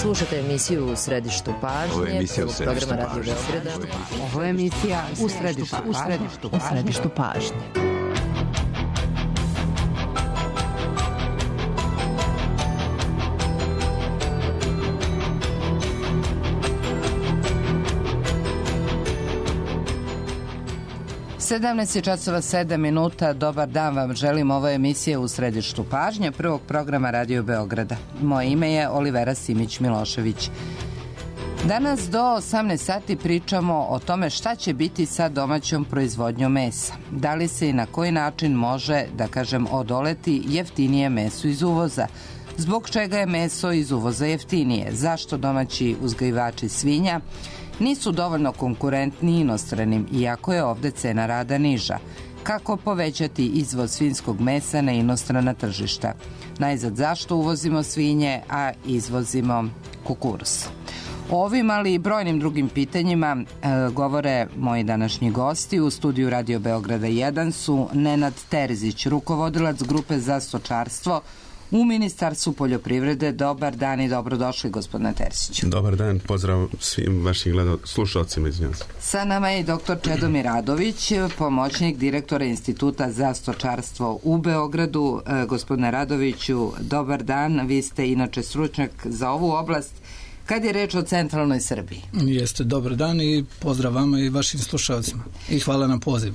Slušajte emisiju U središtu pažnje. Ovo je emisija U središtu pažnje. Ovo je emisija U središtu pažnje. Sedamnaest je časova 7 minuta. Dobar dan vam želim. Ovo je emisija U središtu pažnje prvog programa Radio Beograda. Moje ime je Olivera Simić-Milošević. Danas do 18 sati pričamo o tome šta će biti sa domaćom proizvodnjom mesa. Da li se i na koji način može, da kažem, odoleti jeftinije meso iz uvoza? Zbog čega je meso iz uvoza jeftinije? Zašto domaći uzgajivači svinja nisu dovoljno konkurentni inostranim, iako je ovde cena rada niža? Kako povećati izvoz svinjskog mesa na inostrana tržišta? Najzad, zašto uvozimo svinje, a izvozimo kukuruz? O ovim, ali i brojnim drugim pitanjima govore moji današnji gosti. U studiju Radio Beograda 1 su Nenad Terzić, rukovodilac grupe za stočarstvo u Ministarstvu poljoprivrede. Dobar dan i dobrodošli, gospodine Terziću. Dobar dan, pozdrav svim vašim slušalcima. Sa nama je i dr. Čedomir Radović, pomoćnik direktora Instituta za stočarstvo u Beogradu. Gospodine Radoviću, dobar dan. Vi ste inače stručnjak za ovu oblast kad je reč o centralnoj Srbiji. Jeste, dobar dan i pozdrav vama i vašim slušalcima. I hvala na pozivu.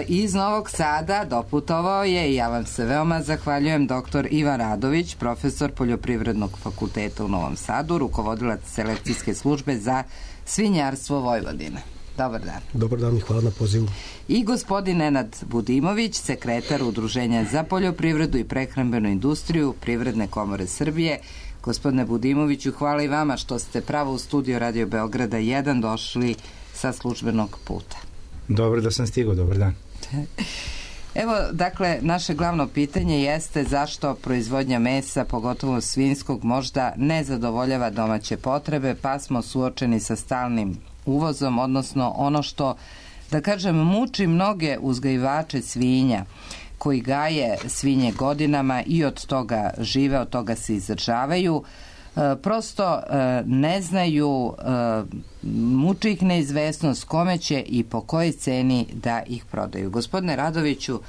Iz Novog Sada doputovao je, i ja vam se veoma zahvaljujem, dr. Ivan Radović, profesor Poljoprivrednog fakulteta u Novom Sadu, rukovodilac selekcijske službe za svinjarstvo Vojvodine. Dobar dan. Dobar dan i hvala na pozivu. I gospodin Nenad Budimović, sekretar Udruženja za poljoprivredu i prehrambenu industriju Privredne komore Srbije. Gospodine Budimoviću, hvala i vama što ste pravo u studio Radio Beograda 1 došli sa službenog puta. Dobro da sam stigao, dobar dan. Evo, dakle, naše glavno pitanje jeste zašto proizvodnja mesa, pogotovo svinjskog, možda ne zadovoljava domaće potrebe, pa smo suočeni sa stalnim uvozom, odnosno ono što, da kažem, muči mnoge uzgajivače svinja koji gaje svinje godinama i od toga žive, od toga se izdržavaju. Prosto ne znaju, muči ih neizvesnost kome će i po kojoj ceni da ih prodaju. Gospodine Radoviću,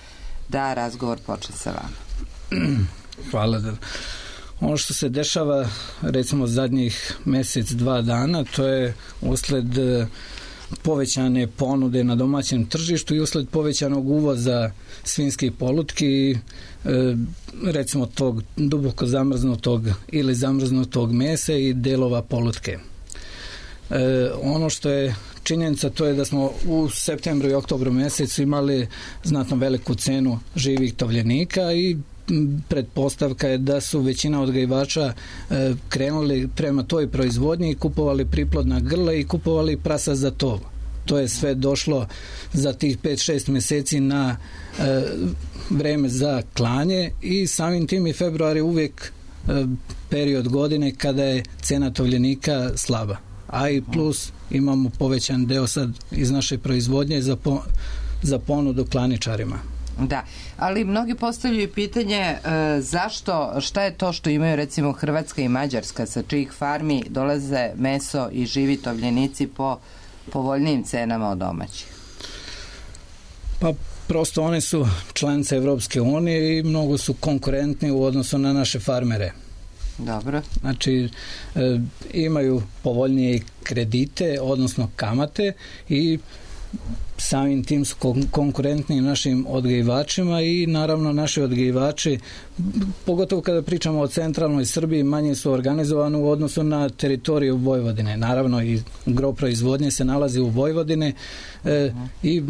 da razgovor počne sa vama. Hvala. Ono što se dešava recimo zadnjih mjesec, 2 dana, to je usled povećane ponude na domaćem tržištu i usled povećanog uvoza svinjskih polutki, recimo tog duboko zamrznutog ili zamrznutog mesa i delova polutke. Ono što je činjenica, to je da smo u septembru i oktobru mjesecu imali znatno veliku cenu živih tovljenika i pretpostavka je da su većina odgajivača krenuli prema toj proizvodnji i kupovali priplodna grla i kupovali prasa za tov. To je sve došlo za tih 5-6 mjeseci na vreme za klanje i samim tim i februar je uvijek period godine kada je cena tovljenika slaba. A i plus imamo povećan deo sad iz naše proizvodnje za ponudu klaničarima. Da, ali mnogi postavljaju pitanje zašto, šta je to što imaju recimo Hrvatska i Mađarska, sa čijih farmi dolaze meso i živi tovljenici po povoljnijim cenama od domaćih? Pa prosto one su članice Evropske unije i mnogo su konkurentni u odnosu na naše farmere. Dobro. Znači imaju povoljnije kredite, odnosno kamate i samim tim su konkurentni našim odgajivačima i naravno naši odgajivači, pogotovo kada pričamo o centralnoj Srbiji, manje su organizovani u odnosu na teritoriju Vojvodine. Naravno i gro proizvodnje se nalazi u Vojvodine i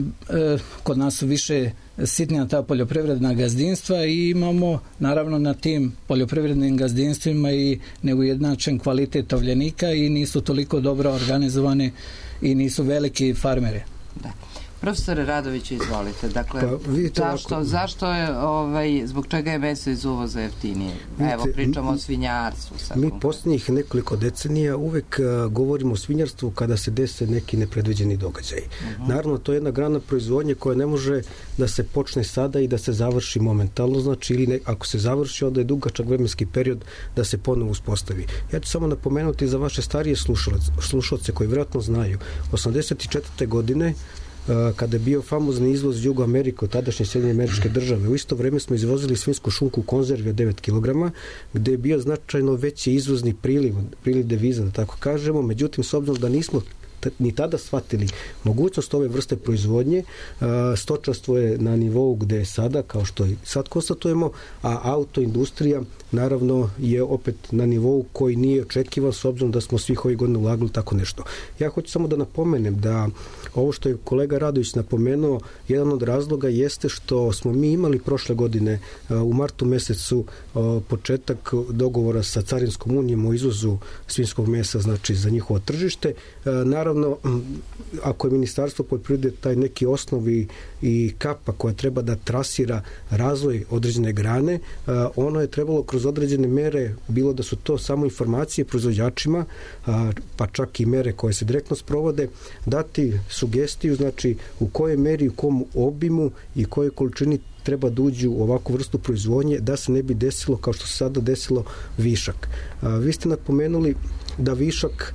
kod nas su više sitnija ta poljoprivredna gazdinstva i imamo naravno na tim poljoprivrednim gazdinstvima i neujednačen kvalitet tovljenika i nisu toliko dobro organizovani i nisu veliki farmeri. Da. Profesore Radoviću, izvolite. Dakle, zašto je, zbog čega je meso iz uvoza jeftinije? Evo, pričamo o svinjarstvu. Mi posljednjih nekoliko decenija uvek govorimo o svinjarstvu kada se dese neki nepredviđeni događaj. Naravno, to je jedna grana proizvodnje koja ne može da se počne sada i da se završi momentalno, znači ili ako se završi, onda je dugačak vremenski period da se ponovo uspostavi. Ja ću samo napomenuti za vaše starije slušalce koji vjerojatno znaju. 1984. godine kada je bio famozni izvoz Jugo Amerike od tadašnje Sjedinjene Američke Države. U isto vrijeme smo izvozili svinjsku šunku u konzervi od 9 kg, gdje je bio značajno veći izvozni priliv deviza, da tako kažemo. Međutim, s obzirom da nismo ni tada shvatili mogućnost ove vrste proizvodnje, stočarstvo je na nivou gde je sada, kao što i sad konstatujemo, a autoindustrija naravno je opet na nivou koji nije očekivan s obzirom da smo svih ovih godina ulagali tako nešto. Ja hoću samo da napomenem da ovo što je kolega Radović napomenuo, jedan od razloga jeste što smo mi imali prošle godine u martu mesecu početak dogovora sa Carinskom unijom o izvozu svinjskog mesa, znači za njihovo tržište. Naravno, ako je Ministarstvo poljoprivrede taj neki osnovi i kapa koja treba da trasira razvoj određene grane, ono je trebalo kroz određene mere, bilo da su to samo informacije proizvođačima, pa čak i mere koje se direktno sprovode, dati sugestiju, znači u kojoj meri, u kom obimu i kojoj količini treba da uđu u ovakvu vrstu proizvodnje da se ne bi desilo, kao što se sada desilo, višak. Vi ste napomenuli da višak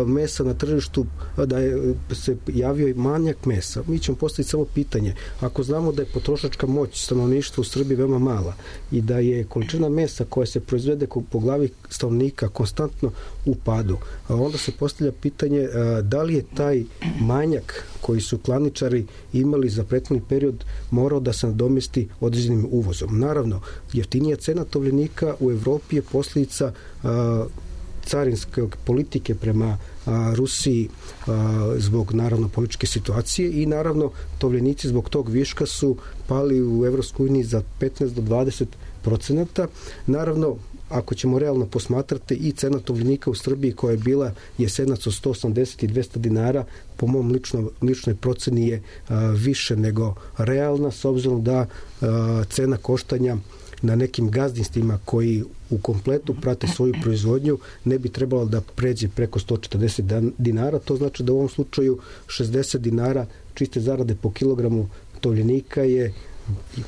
mesa na tržištu, da je se javio i manjak mesa. Mi ćemo postaviti samo pitanje. Ako znamo da je potrošačka moć stanovništva u Srbiji veoma mala i da je količina mesa koja se proizvede po glavi stanovnika konstantno u padu, onda se postavlja pitanje da li je taj manjak koji su klaničari imali za prethodni period morao da se nadomesti određenim uvozom. Naravno, jeftinija cena tovljenika u Evropi je posljedica carinske politike prema Rusiji zbog naravno političke situacije i naravno tovljenici zbog tog viška su pali u Evropskoj uniji za 15 do 20%. Naravno, ako ćemo realno posmatrati, i cena tovljenika u Srbiji koja je bila jesenac od 180 i 200 dinara, po mom ličnoj proceni je više nego realna, s obzirom da cena koštanja na nekim gazdinstvima koji u kompletu prate svoju proizvodnju ne bi trebalo da pređe preko 140 dinara. To znači da u ovom slučaju 60 dinara čiste zarade po kilogramu tovljenika je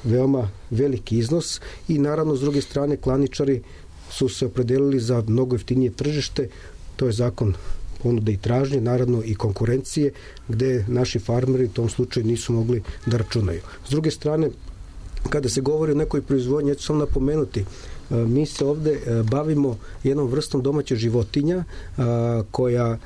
veoma veliki iznos i naravno s druge strane klaničari su se opredelili za mnogo jeftinije tržište. To je zakon ponude i tražnje, naravno i konkurencije, gde naši farmeri u tom slučaju nisu mogli da računaju. S druge strane, kada se govori o nekoj proizvodnji, ja ću samo napomenuti, mi se ovde bavimo jednom vrstom domaće životinja koja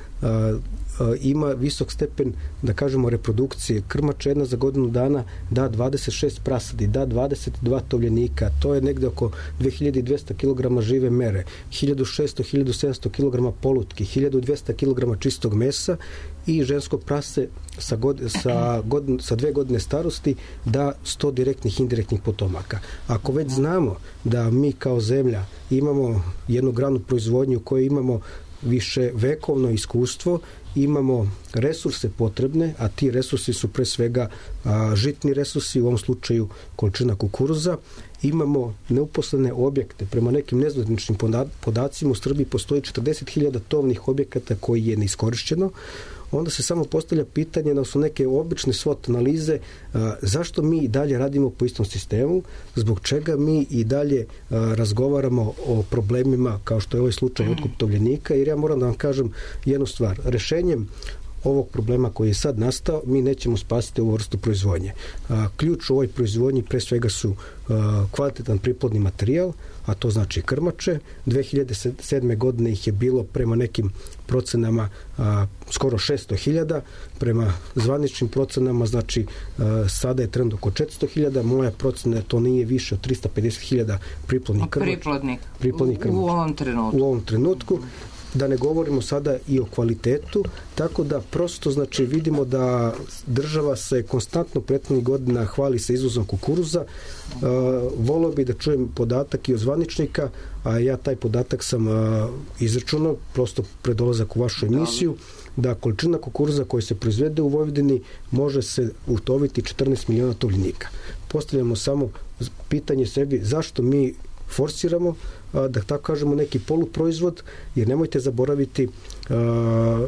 ima visok stepen, da kažemo, reprodukcije. Krmača jedna za godinu dana da 26 prasadi, da 22 tovljenika, to je negde oko 2200 kg žive mere, 1600-1700 kg polutki, 1200 kg čistog mesa i žensko prase sa 2 godine starosti da 100 direktnih i indirektnih potomaka. Ako već znamo da mi kao zemlja imamo jednu granu proizvodnju u kojoj imamo više vekovno iskustvo, imamo resurse potrebne, a ti resursi su pre svega žitni resursi, u ovom slučaju količina kukuruza, imamo neuposlene objekte. Prema nekim nezvaničnim podacima u Srbiji postoji 40.000 tovnih objekata koji je neiskorišćeno. Onda se samo postavlja pitanje, da su neke obične SWOT analize, zašto mi i dalje radimo po istom sistemu, zbog čega mi i dalje razgovaramo o problemima kao što je ovaj slučaj otkup tovljenika, jer ja moram da vam kažem jednu stvar. Rešenjem ovog problema koji je sad nastao, mi nećemo spasiti ovu vrstu proizvodnje. Ključ u ovoj proizvodnji pre svega su kvalitetan priplodni materijal, a to znači krmače. 2007. godine ih je bilo prema nekim procenama skoro 600.000, prema zvaničnim procenama, znači sada je trend oko 400.000, moja procena to nije više od 350.000 priplodnih krmača. Priplodnik. U ovom trenutku. da ne govorimo sada i o kvalitetu, tako da prosto znači vidimo da država se konstantno prethodnih godina hvali sa izvozom kukuruza. Volio bi da čujem podatak i od zvaničnika, a ja taj podatak sam izračunao prosto pred dolazak u vašu emisiju, da količina kukuruza koja se proizvede u Vojvodini može se utoviti 14 miliona tovljenika. Postavljamo samo pitanje sebi zašto mi forsiramo, da tako kažemo, neki poluproizvod, jer nemojte zaboraviti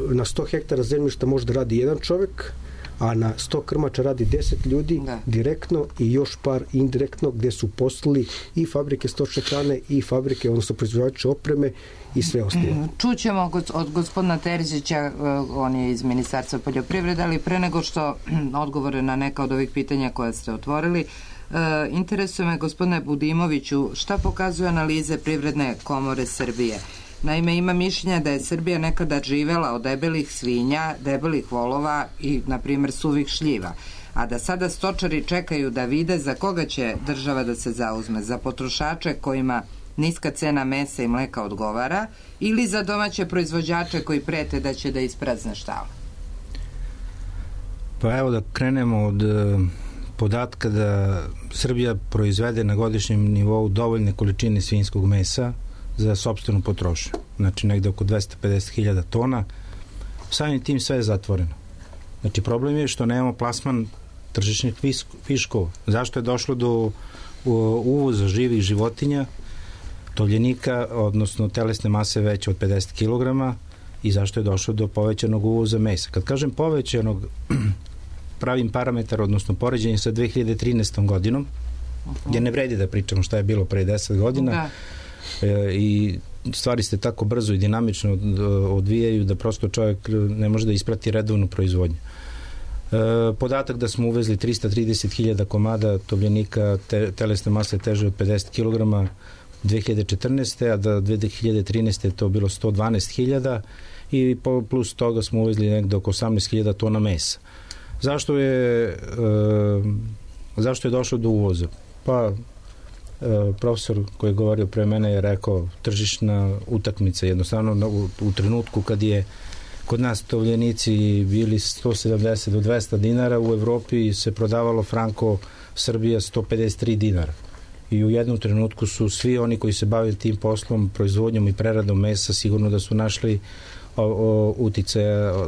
na 100 hektara zemljišta može da radi jedan čovek, a na 100 krmača radi 10 ljudi direktno i još par indirektno, gde su poslali i fabrike stočne hrane i fabrike, odnosno proizvođače opreme i sve ostalo. Čućemo od gospodina Terzića, on je iz Ministarstva poljoprivrede, ali pre nego što odgovore na neka od ovih pitanja koja ste otvorili, interesuje me, gospodine Budimoviću, šta pokazuju analize Privredne komore Srbije? Naime, ima mišljenja da je Srbija nekada živela od debelih svinja, debelih volova i, na primjer, suvih šljiva, a da sada stočari čekaju da vide za koga će država da se zauzme, za potrošače kojima niska cena mesa i mleka odgovara ili za domaće proizvođače koji prete da će da isprazne štale? Pa evo da krenemo od podatka da Srbija proizvede na godišnjem nivou dovoljne količine svinjskog mesa za sopstvenu potrošnju. Znači negde oko 250.000 tona. Samim tim sve je zatvoreno. Znači problem je što nemamo plasman tržišnih viškova. Zašto je došlo do uvoza živih životinja, tovljenika, odnosno telesne mase veće od 50 kg i zašto je došlo do povećanog uvoza mesa? Kad kažem povećanog, pravim parametar, odnosno poređenje sa 2013. godinom, gdje ne vredi da pričamo šta je bilo pre 10 godina, i stvari se tako brzo i dinamično odvijaju da prosto čovjek ne može da isprati redovnu proizvodnju. Podatak da smo uvezli 330.000 komada tovljenika telesne mase teže od 50 kg 2014. a da 2013. je to bilo 112.000 i plus toga smo uvezli nekde oko 18.000 tona mesa. Zašto je došlo do uvoza? Pa profesor koji je govorio pre mene je rekao tržišna utakmica. Jednostavno u trenutku kad je kod nas tovljenici bili 170 do 200 dinara, u Evropi se prodavalo franko Srbija 153 dinara. I u jednom trenutku su svi oni koji se bavili tim poslom, proizvodnjom i preradom mesa, sigurno da su našli uticaja,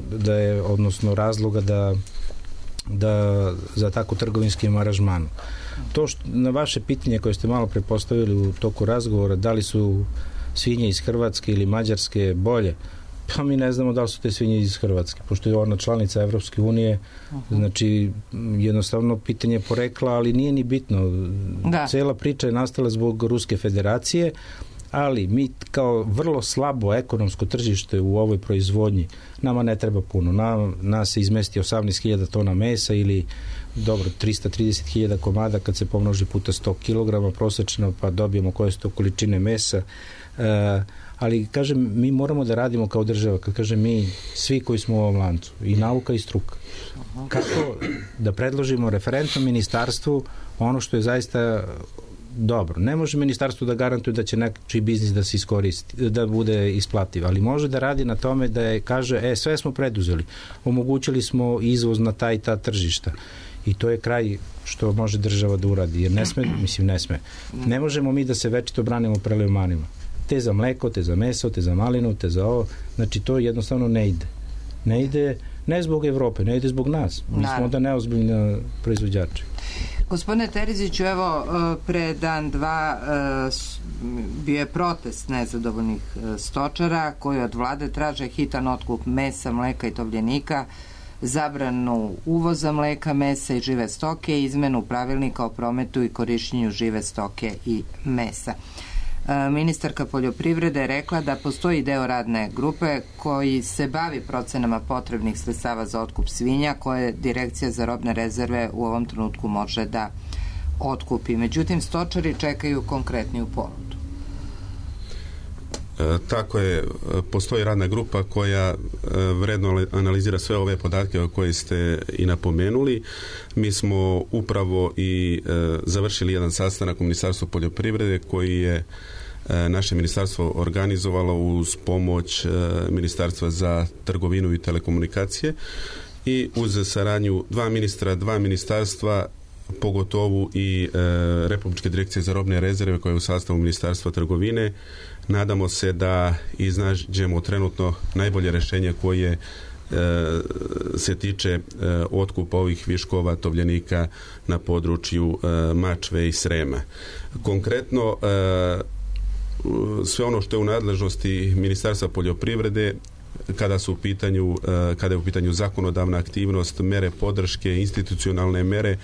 odnosno razloga da za tako trgovinskim aranžmanom. To što, na vaše pitanje koje ste malo prepostavili u toku razgovora, da li su svinje iz Hrvatske ili Mađarske bolje, pa mi ne znamo da li su te svinje iz Hrvatske, pošto je ona članica Evropske unije, znači jednostavno pitanje porekla, ali nije ni bitno. Cela priča je nastala zbog Ruske federacije, ali mi kao vrlo slabo ekonomsko tržište u ovoj proizvodnji, nama ne treba puno. Nas se izmesti 18.000 tona mesa ili dobro 330.000 komada kad se pomnoži puta 100 kg prosečno, pa dobijemo koje su to količine mesa. Ali kažem, mi moramo da radimo kao država, kad kažem mi, svi koji smo u ovom lancu, i nauka i struka. Kako da predložimo referentnom ministarstvu ono što je zaista dobro. Ne može ministarstvo da garantuje da će nečiji biznis da se iskoristi, da bude isplativ, ali može da radi na tome da je, kaže, sve smo preduzeli, omogućili smo izvoz na ta i ta tržišta. I to je kraj što može država da uradi, jer ne sme. Ne možemo mi da se večito branimo prelevmanima. Te za mleko, te za meso, te za malinu, te za ovo. Znači, to jednostavno ne ide. Ne ide ne zbog Evrope, ne ide zbog nas. Mi smo onda neozbiljni proizvođači. Gospodine Terziću, evo, pre dan, dva bio je protest nezadovoljnih stočara koji od vlade traže hitan otkup mesa, mleka i tovljenika, zabranu uvoza mleka, mesa i žive stoke i izmenu pravilnika o prometu i korišćenju žive stoke i mesa. Ministarka poljoprivrede je rekla da postoji deo radne grupe koji se bavi procenama potrebnih sredstava za otkup svinja koje Direkcija za robne rezerve u ovom trenutku može da otkupi. Međutim, stočari čekaju konkretniju ponudu. Tako je, postoji radna grupa koja vredno analizira sve ove podatke o koje ste i napomenuli. Mi smo upravo i završili jedan sastanak u Ministarstvu poljoprivrede koji je naše ministarstvo organizovalo uz pomoć Ministarstva za trgovinu i telekomunikacije i uz saradnju dva ministarstva, pogotovo i Republičke direkcije za robne rezerve koja je u sastavu Ministarstva trgovine. Nadamo se da iznađemo trenutno najbolje rješenje koje se tiče otkupa ovih viškova tovljenika na području Mačve i Srema. Konkretno, sve ono što je u nadležnosti Ministarstva poljoprivrede, kada je u pitanju zakonodavna aktivnost, mere podrške, institucionalne mere,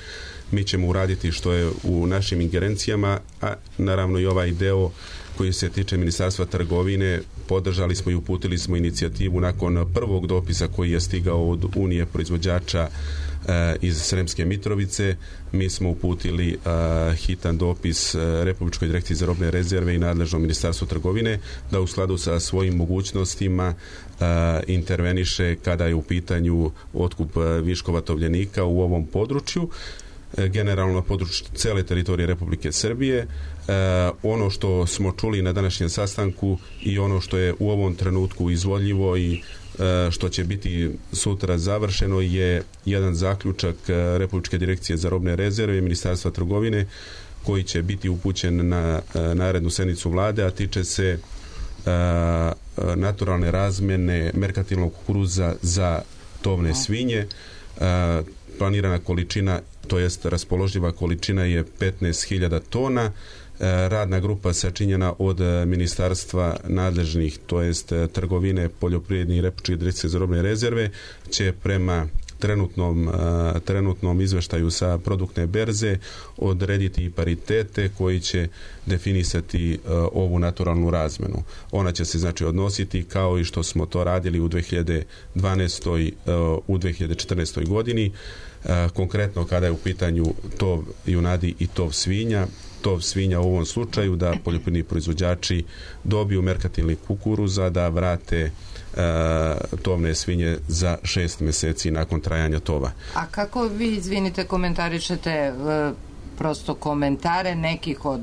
mi ćemo uraditi što je u našim ingerencijama, a naravno i ovaj deo koji se tiče Ministarstva trgovine, podržali smo i uputili smo inicijativu nakon prvog dopisa koji je stigao od Unije proizvođača iz Sremske Mitrovice. Mi smo uputili hitan dopis Republičkoj direkciji za robne rezerve i nadležnom Ministarstvu trgovine da u skladu sa svojim mogućnostima interveniše kada je u pitanju otkup viškova tovljenika u ovom području, generalno na području cele teritorije Republike Srbije. Ono što smo čuli na današnjem sastanku i ono što je u ovom trenutku izvodljivo i što će biti sutra završeno je jedan zaključak Republičke direkcije za robne rezerve i Ministarstva trgovine koji će biti upućen na narednu sednicu vlade, a tiče se naturalne razmjene merkantilnog kukuruza za tovne svinje. Planirana količina, to jest raspoloživa količina je 15.000 tona. Radna grupa sačinjena od ministarstva nadležnih, to jest trgovine, poljoprivredne i Republičke direkcije za robne rezerve, će prema trenutnom izveštaju sa produktne berze odrediti i paritete koji će definisati ovu naturalnu razmenu. Ona će se znači odnositi kao i što smo to radili u 2012. u 2014. godini. Konkretno kada je u pitanju tov junadi i tov svinja, tov svinja u ovom slučaju da poljoprivredni proizvođači dobiju merkantilni kukuruza, da vrate tovne svinje za 6 mjeseci nakon trajanja tova. A kako vi, izvinite, komentarišete prosto komentare nekih od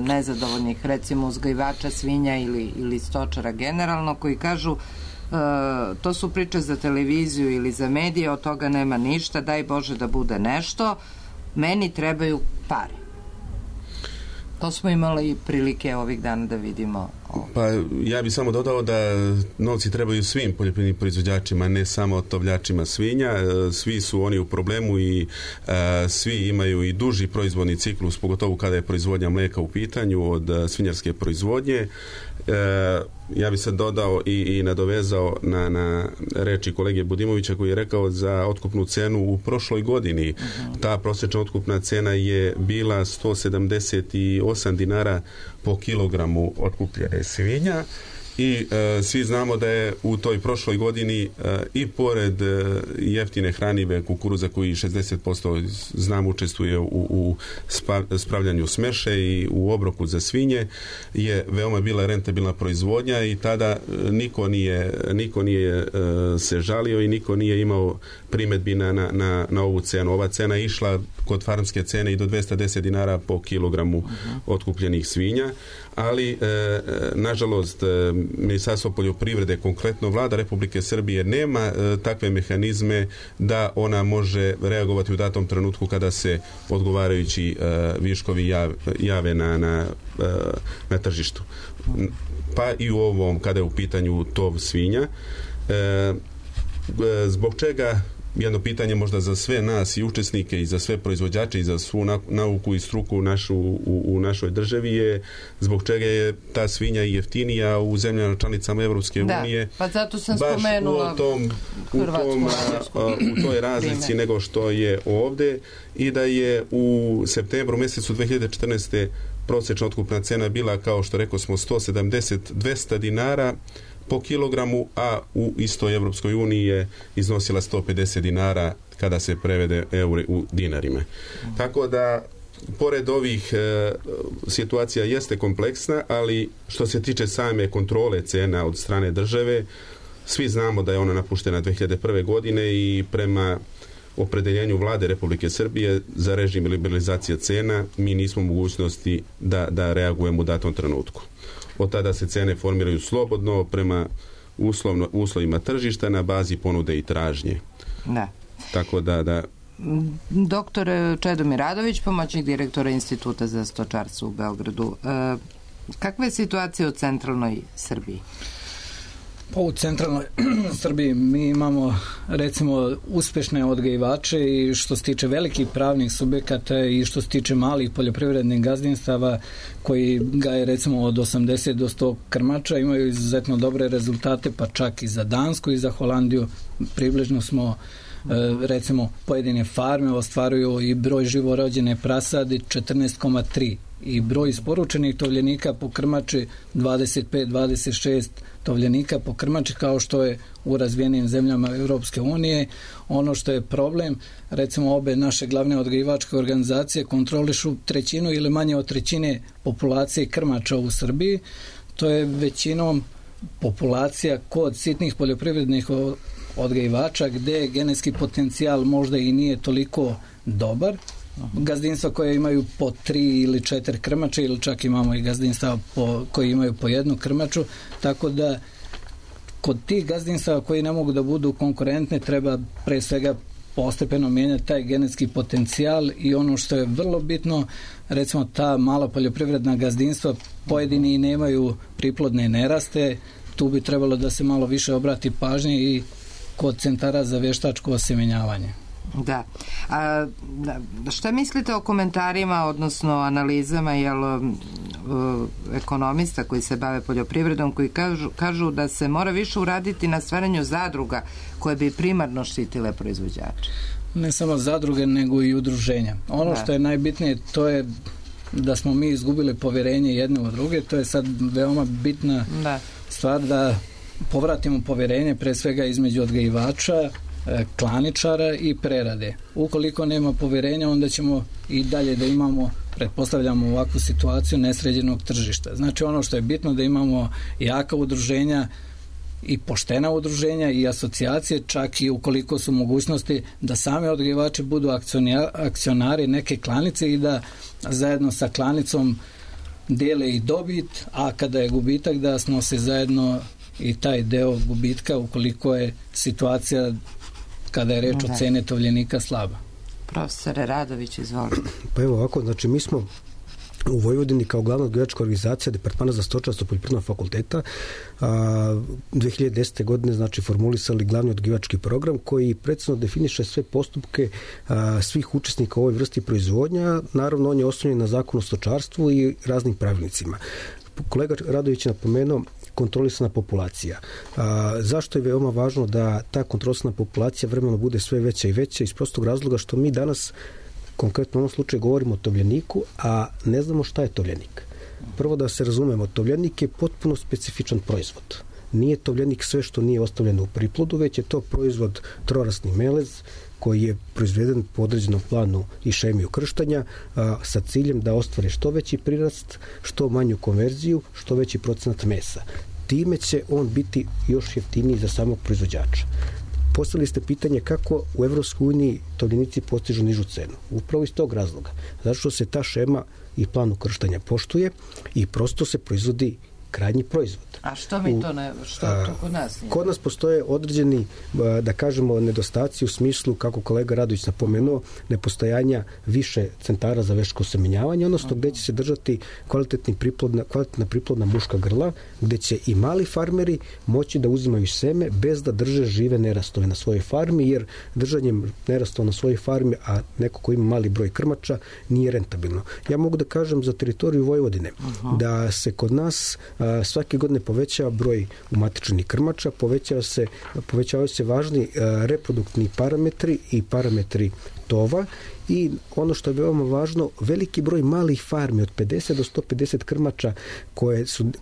nezadovoljnih, recimo uzgajivača svinja ili stočara generalno, koji kažu to su priče za televiziju ili za medije, od toga nema ništa, daj Bože da bude nešto, meni trebaju pare. To smo imali prilike ovih dana da vidimo. Pa ja bih samo dodao da novci trebaju svim poljoprivrednim proizvođačima, ne samo tovljačima svinja. Svi su oni u problemu i svi imaju i duži proizvodni ciklus, pogotovo kada je proizvodnja mlijeka u pitanju od svinjarske proizvodnje. Ja bih se dodao i nadovezao na reči kolege Budimovića koji je rekao za otkupnu cenu u prošloj godini. Ta prosječna otkupna cena je bila 178 dinara po kilogramu otkupljene svinja i svi znamo da je u toj prošloj godini i pored jeftine hranive kukuruza koji 60% znam učestvuje u spravljanju smeše i u obroku za svinje, je veoma bila rentabilna proizvodnja i tada niko nije se žalio i niko nije imao primjedbi na ovu cenu. Ova cena je išla kod farmske cene i do 210 dinara po kilogramu otkupljenih svinja, ali nažalost Ministarstvo poljoprivrede, konkretno Vlada Republike Srbije, nema takve mehanizme da ona može reagovati u datom trenutku kada se odgovarajući viškovi jave na tržištu. Pa i u ovom, kada je u pitanju tov svinja. Zbog čega, jedno pitanje možda za sve nas i učesnike i za sve proizvođače i za svu nauku i struku u našoj državi je zbog čega je ta svinja jeftinija u zemljama članicama Evropske unije. Pa zato sam spomenula u toj razlici nego što je ovde i da je u septembru mjesecu 2014. prosječna otkupna cena bila, kao što rekao smo, 170-200 dinara po kilogramu, a u istoj Evropskoj uniji je iznosila 150 dinara kada se prevede eure u dinarima. Tako da, pored ovih situacija jeste kompleksna, ali što se tiče same kontrole cena od strane države, svi znamo da je ona napuštena 2001. godine i prema opredeljenju vlade Republike Srbije za režim liberalizacije cena mi nismo u mogućnosti da reagujemo u datom trenutku. Od tada se cene formiraju slobodno prema uslovima tržišta na bazi ponude i tražnje. Da. Tako da... Doktor Čedomir Radović, pomoćnik direktora Instituta za stočarstvo u Beogradu. Kakva je situacija u centralnoj Srbiji? Pa u centralnoj Srbiji mi imamo recimo uspešne odgajivače i što se tiče velikih pravnih subjekata i što se tiče malih poljoprivrednih gazdinstava koji gaje recimo od 80 do 100 krmača, imaju izuzetno dobre rezultate, pa čak i za Dansku i za Holandiju. Približno smo recimo pojedine farme ostvaruju i broj živorođene prasadi 14,3 i broj isporučenih tovljenika po krmači 25-26 tovljenika po krmači, kao što je u razvijenim zemljama Europske unije. Ono što je problem, recimo obe naše glavne odgajivačke organizacije kontrolišu trećinu ili manje od trećine populacije krmača u Srbiji. To je većinom populacija kod sitnih poljoprivrednih odgajivača gde genetski potencijal možda i nije toliko dobar. Gazdinstva koje imaju po 3 ili 4 krmače ili čak imamo i gazdinstva koji imaju po jednu krmaču, tako da kod tih gazdinstva koji ne mogu da budu konkurentne treba pre svega postepeno mijenjati taj genetski potencijal i ono što je vrlo bitno, recimo ta mala poljoprivredna gazdinstva pojedini i nemaju priplodne neraste, tu bi trebalo da se malo više obrati pažnje i kod centara za vještačko osemenjavanje. Da. Šta mislite o komentarima, odnosno analizama ekonomista koji se bave poljoprivredom, koji kažu da se mora više uraditi na stvaranju zadruga koje bi primarno štitile proizvođače? Ne samo zadruge, nego i udruženja. Ono što je najbitnije, to je da smo mi izgubili povjerenje jedne u druge, to je sad veoma bitna stvar da povratimo povjerenje pre svega između odgajivača, klaničara i prerade. Ukoliko nema povjerenja, onda ćemo i dalje da imamo, pretpostavljamo ovakvu situaciju nesređenog tržišta. Znači ono što je bitno da imamo jaka udruženja i poštena udruženja i asocijacije, čak i ukoliko su mogućnosti da same odgajivači budu akcionari neke klanice i da zajedno sa klanicom dele i dobit, a kada je gubitak da snose zajedno i taj deo gubitka ukoliko je situacija kada je reč o cene tovljenika slaba. Profesore Radović, izvolite. Pa evo ovako, znači mi smo u Vojvodini kao glavna odgajivačka organizacija Departmana za stočarstvo Poljoprivrednog fakulteta 2010. godine znači formulisali glavni odgajivački program koji precizno definiše sve postupke svih učesnika u ovoj vrsti proizvodnja. Naravno, on je osnovljen na zakonu o stočarstvu i raznim pravilnicima. Kolega Radović je napomenuo kontrolisana populacija. Zašto je veoma važno da ta kontrolisana populacija vremenom bude sve veća i veća? Iz prostog razloga što mi danas konkretno u ovom slučaju govorimo o tovljeniku, a ne znamo šta je tovljenik. Prvo da se razumemo, tovljenik je potpuno specifičan proizvod. Nije tovljenik sve što nije ostavljeno u priplodu, već je to proizvod trorasni melez koji je proizveden po određenom planu i šemiju krštanja sa ciljem da ostvare što veći prirast, što manju konverziju, što veći procenat mesa. Time će on biti još jeftiniji za samog proizvođača. Postavili ste pitanje kako u Evropskoj uniji tovljenici postižu nižu cenu. Upravo iz tog razloga. Zato što se ta šema i plan ukrštanja poštuje i prosto se proizvodi krajnji proizvod. A što mi to ne, što to kod nas nije? Kod nas postoje određeni, da kažemo, nedostaci u smislu, kako kolega Radović napomenuo, nepostojanja više centara za veštačko osemenjavanje, odnosno gde će se držati kvalitetna priplodna muška grla, gde će i mali farmeri moći da uzimaju seme bez da drže žive nerastove na svojoj farmi, jer držanjem nerastova na svojoj farmi, a neko ko ima mali broj krmača, nije rentabilno. Ja mogu da kažem za teritoriju Vojvodine da se kod nas svake godine povećava broj umatičenih krmača, povećavaju se važni reproduktivni parametri i parametri tova i ono što je veoma važno, veliki broj malih farmi od 50 do 150 krmača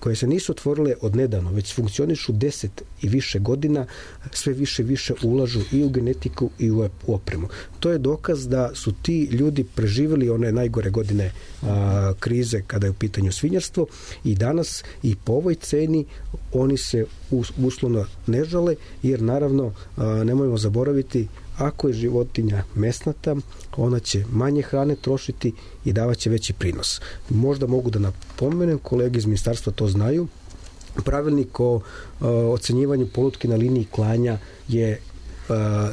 koje se nisu otvorile od nedavno, već funkcionišu 10 i više godina, sve više ulažu i u genetiku i u opremu. To je dokaz da su ti ljudi preživjeli one najgore godine krize kada je u pitanju svinjarstvo i danas i po ovoj ceni oni se uslovno ne žale, jer naravno nemojmo zaboraviti Ako je životinja mesnata, ona će manje hrane trošiti i davaće veći prinos. Možda mogu da napomenem, kolege iz ministarstva to znaju, pravilnik o ocenjivanju polutke na liniji klanja je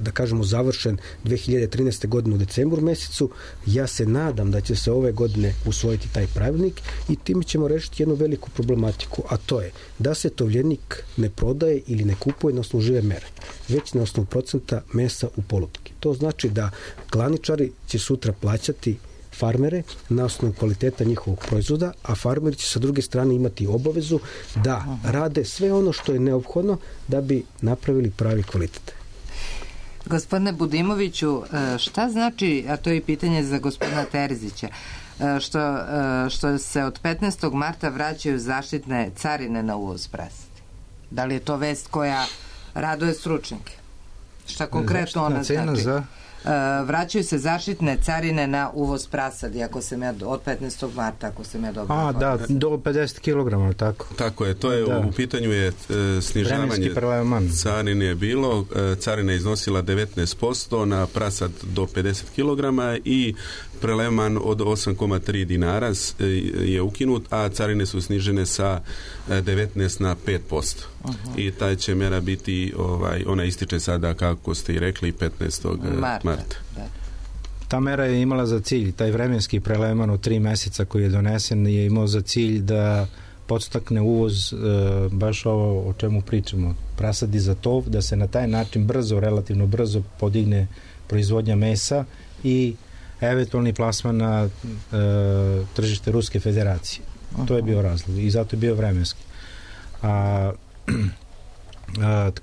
da kažemo završen 2013. godine u decembru mesecu. Ja se nadam da će se ove godine usvojiti taj pravilnik i time ćemo rešiti jednu veliku problematiku, a to je da se tovljenik ne prodaje ili ne kupuje na osnovu žive mere, već na osnovu procenta mesa u polutki. To znači da klaničari će sutra plaćati farmere na osnovu kvaliteta njihovog proizvoda, a farmeri će sa druge strane imati obavezu da rade sve ono što je neophodno da bi napravili pravi kvalitet. Gospodine Budimoviću, šta znači, a to je pitanje za gospodina Terzića, što se od 15. marta vraćaju zaštitne carine na uvoz prasadi? Da li je to vest koja raduje stručnjake? Šta konkretno ona znači? Vraćaju se zaštitne carine na uvoz prasadi, ako sam ja od 15. marta, ako sam ja dobro. Da, do 50 kg, tako. Tako je, to je u pitanju je snižavanje carine je bilo, carina je iznosila 19% na prasad do 50 kg i preleman od 8,3 dinara je ukinut, a carine su snižene sa 19 na 5%. I taj će mera biti, ona ističe sada, kako ste i rekli, 15. marta. Ta mera je imala za cilj, taj vremenski preleman od 3 meseca koji je donesen je imao za cilj da podstakne uvoz baš ovo o čemu pričamo, prasadi za tov, da se na taj način relativno brzo podigne proizvodnja mesa i eventualni plasman na tržište Ruske federacije. To je bio razlog i zato je bio vremenski.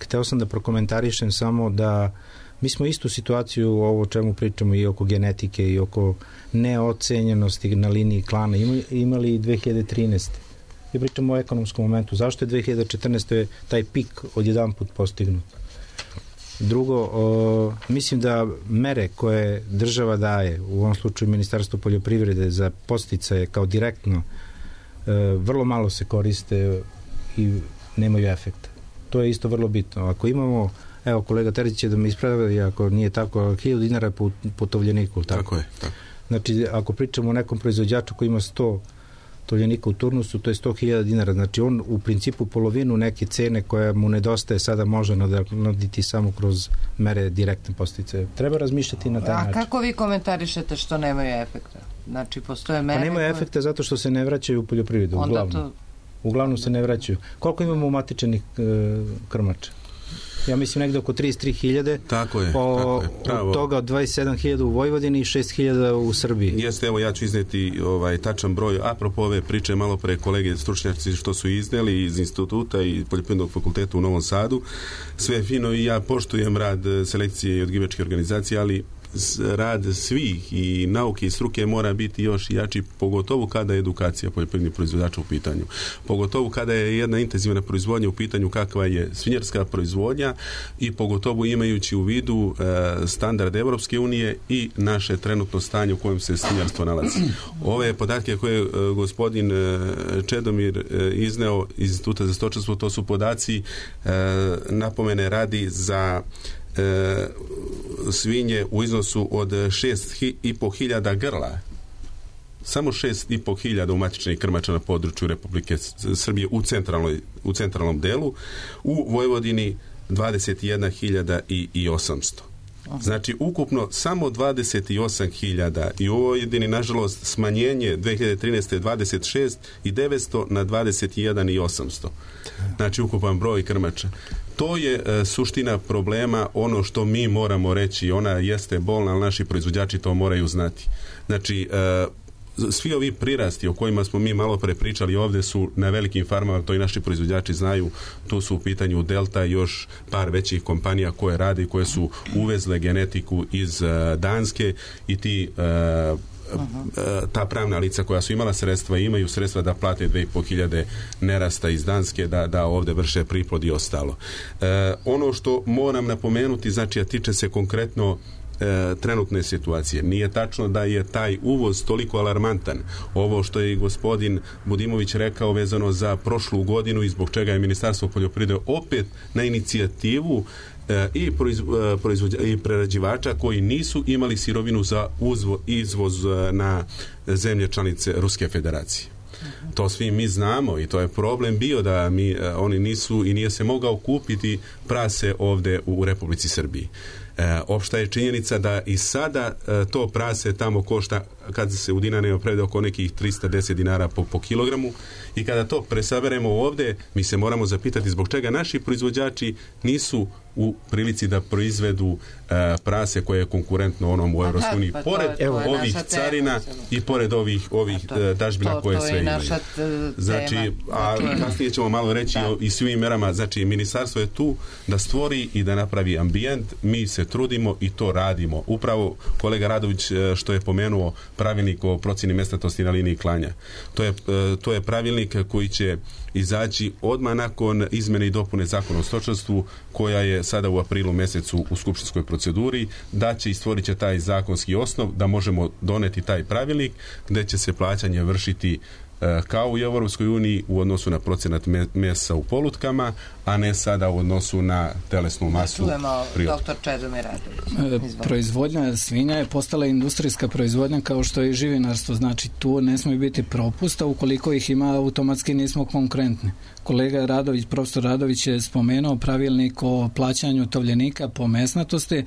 Hteo sam da prokomentarišem samo da mi smo istu situaciju ovo o čemu pričamo i oko genetike i oko neocenjenosti na liniji klana imali i 2013. I pričamo o ekonomskom momentu. Zašto je 2014. taj pik odjedan put postignut? Drugo, mislim da mere koje država daje, u ovom slučaju Ministarstvo poljoprivrede za podsticaje kao direktno, vrlo malo se koriste i nemaju efekta. To je isto vrlo bitno. Ako imamo, evo kolega Terzić će da me ispravi, ako nije tako, 1000 dinara po tovljeniku. Tako je. Tako. Znači, ako pričamo o nekom proizvođaču koji ima 100 tovljenika u turnusu, to je 100.000 dinara. Znači, on u principu polovinu neke cene koja mu nedostaje sada može nadoknaditi samo kroz mere direktne podsticaje. Treba razmišljati na taj način. A kako vi komentarišete što nemaju efekta? Znači, postoje mere... Pa nemaju efekta zato što se ne vraćaju u poljoprivredu, uglavnom. Uglavnom se ne vraćaju. Koliko imamo umatičenih krmača? Ja mislim negde oko 33.000. Tako je. Od toga 27.000 u Vojvodini i 6.000 u Srbiji. Jeste, evo ja ću izneti tačan broj. Apropo ove priče malo pre kolege stručnjaci što su izneli iz instituta i Poljoprivrednog fakulteta u Novom Sadu. Sve je fino i ja poštujem rad selekcije i odgivačke organizacije, ali rad svih i nauke i struke mora biti još jači, pogotovo kada je edukacija poljoprivrednih proizvođača u pitanju. Pogotovo kada je jedna intenzivna proizvodnja u pitanju kakva je svinjarska proizvodnja i pogotovo imajući u vidu standard Evropske unije i naše trenutno stanje u kojem se svinjarstvo nalazi. Ove podatke koje je gospodin Čedomir izneo iz Instituta za stočarstvo, to su podaci napomene radi za svinje u iznosu od 6.500 grla. Samo 6.500 umatičnih krmača na području Republike Srbije u centralnom delu. U Vojvodini 21.800. Znači, ukupno samo 28.000 i u Vojvodini, nažalost, smanjenje 2013. 26.900 na 21.800. Znači, ukupan broj krmača. To je suština problema, ono što mi moramo reći, ona jeste bolna, ali naši proizvođači to moraju znati. Znači, svi ovi prirasti o kojima smo mi malo pre pričali ovde su na velikim farmama, to i naši proizvođači znaju, tu su u pitanju Delta i još par većih kompanija koje rade i koje su uvezle genetiku iz Danske i ta pravna lica koja su imala sredstva i imaju sredstva da plate 2.500 nerasta iz Danske da ovde vrše priplod i ostalo. Ono što moram napomenuti, znači, a tiče se konkretno trenutne situacije. Nije tačno da je taj uvoz toliko alarmantan. Ovo što je i gospodin Budimović rekao vezano za prošlu godinu i zbog čega je Ministarstvo poljoprivrede opet na inicijativu i prerađivača koji nisu imali sirovinu za izvoz na zemlje članice Ruske federacije. To svi mi znamo i to je problem bio da oni nisu i nije se mogao kupiti prase ovde u Republici Srbiji. Opšta je činjenica da i sada to prase tamo košta, kad se u dinarima prevede, oko nekih 310 dinara po kilogramu, i kada to presaberemo ovde, mi se moramo zapitati zbog čega naši proizvođači nisu u prilici da proizvedu prase koje je konkurentno onom u Evropskoj uniji, pored ovih carina i pored ovih dažbina koje sve imaju. Znači, a kasnije ćemo malo reći i svim merama. Znači, ministarstvo je tu da stvori i da napravi ambijent. Mi se trudimo i to radimo. Upravo kolega Radović što je pomenuo pravilnik o procjeni mesnatosti na liniji klanja. To je pravilnik koji će izaći odmah nakon izmene i dopune Zakona o stočarstvu, koja je sada u aprilu mesecu u skupštinskoj proceduri, da će i stvorit će taj zakonski osnov da možemo doneti taj pravilnik gde će se plaćanje vršiti kao u Evropskoj uniji u odnosu na procenat mesa u polutkama, a ne sada u odnosu na telesnu masu. Čujemo dr. Čedomir Radović. Proizvodnja svinja je postala industrijska proizvodnja kao što je i živinarstvo. Znači tu ne smije biti propusta, ukoliko ih ima automatski nismo konkurentni. Kolega Radović, profesor Radović je spomenuo pravilnik o plaćanju tovljenika po mesnatosti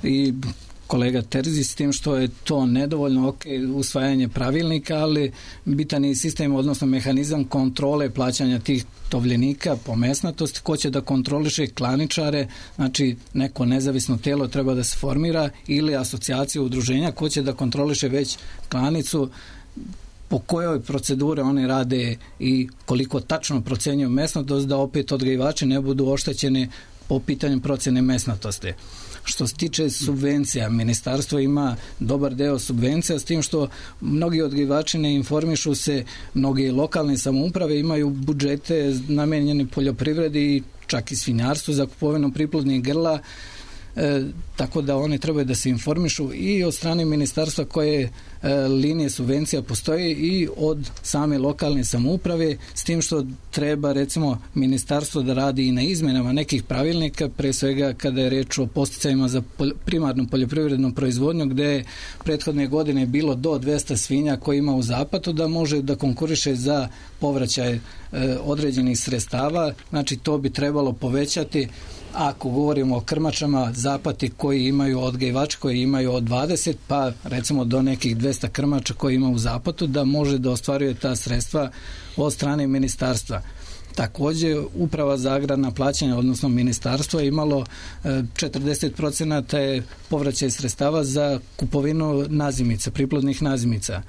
i kolega Terzi, s tim što je to nedovoljno, usvajanje pravilnika, ali bitan je sistem, odnosno mehanizam kontrole plaćanja tih tovljenika po mesnatosti, ko će da kontroliše klaničare, znači neko nezavisno telo treba da se formira, ili asocijacija udruženja ko će da kontroliše već klanicu, po kojoj procedure oni rade i koliko tačno procenjuju mesnatost, da opet odgajivači ne budu oštećeni po pitanju procene mesnatosti. Što se tiče subvencija, ministarstvo ima dobar deo subvencija, s tim što mnogi odgajivači ne informišu se, mnogi lokalne samouprave imaju budžete namenjene poljoprivredi, čak i svinjarstvu za kupovinu priplodnih grla, tako da oni trebaju da se informišu i od strane ministarstva koje linije subvencija postoje i od same lokalne samouprave, s tim što treba recimo ministarstvo da radi i na izmenama nekih pravilnika, pre svega kada je reč o podsticajima za primarnu poljoprivrednu proizvodnju, gde je prethodne godine bilo do 200 svinja koji ima u zapatu, da može da konkuriše za povraćaj određenih sredstava. Znači to bi trebalo povećati. Ako govorimo o krmačama, zapati koji imaju odgajivači koji imaju od 20 pa recimo do nekih 200 krmača koji ima u zapatu, da može da ostvaruje ta sredstva od strane ministarstva. Također, Uprava za agrarna plaćanja, odnosno ministarstvo, je imalo 40% je povraćaj sredstava za kupovinu nazimica, priplodnih nazimica.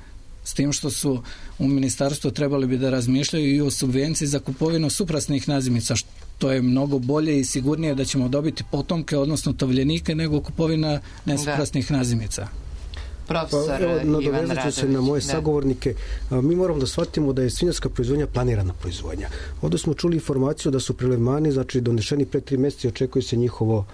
S tim što su u ministarstvu trebali bi da razmišljaju i o subvenciji za kupovinu suprasnih nazimica, što je mnogo bolje i sigurnije da ćemo dobiti potomke, odnosno tovljenike, nego kupovina nesuprasnih nazimica. Profesor nadovezat ću se na moje sagovornike. Mi moramo da shvatimo da je svinjarska proizvodnja planirana proizvodnja. Ovdje smo čuli informaciju da su prelevmani, znači donešeni pre 3 mjeseca, očekuje se njihovo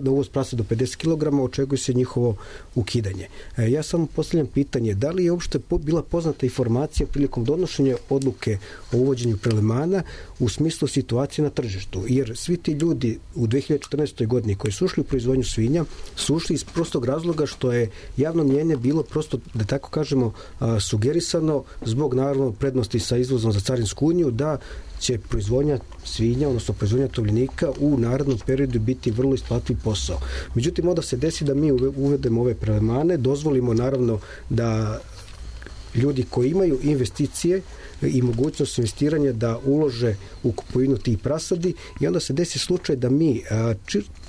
na uvoz prasa do 50 kg, očekuje se njihovo ukidanje. Ja samo postavljam pitanje, da li je uopšte bila poznata informacija prilikom donošenja odluke o uvođenju prelevmana u smislu situacije na tržištu? Jer svi ti ljudi u 2014. godini koji su ušli u proizvodnju svinja su ušli iz prostog razloga što je javno mnjenje bilo prosto, da tako kažemo, sugerisano zbog naravno prednosti sa izvozom za Carinsku uniju, da će proizvodnja svinja, odnosno proizvodnja tovljenika u narednom periodu biti vrlo isplativ posao. Međutim, onda se desi da mi uvedemo ove prelevmane, dozvolimo naravno da ljudi koji imaju investicije i mogućnost investiranja da ulože u kupovinu tih prasadi, i onda se desi slučaj da mi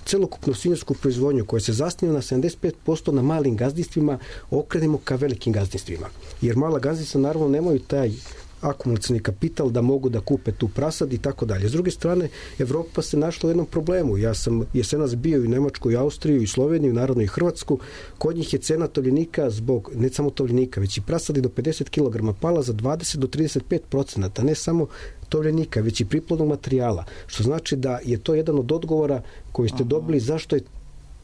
celokupnu svinjarsku proizvodnju koja se zasniva na 75% na malim gazdinstvima okrenemo ka velikim gazdinstvima. Jer mala gazdinstva naravno nemaju taj akumulacioni kapital da mogu da kupe tu prasad i tako dalje. S druge strane, Evropa se našla u jednom problemu. Ja sam jesenas bio i u Nemačku, i Austriju, i Sloveniju, naravno i Hrvatsku. Kod njih je cena tovljenika zbog, ne samo tovljenika, već i prasadi do 50 kg pala za 20 do 35%, ne samo tovljenika, već i priplodnog materijala. Što znači da je to jedan od odgovora koji ste dobili zašto je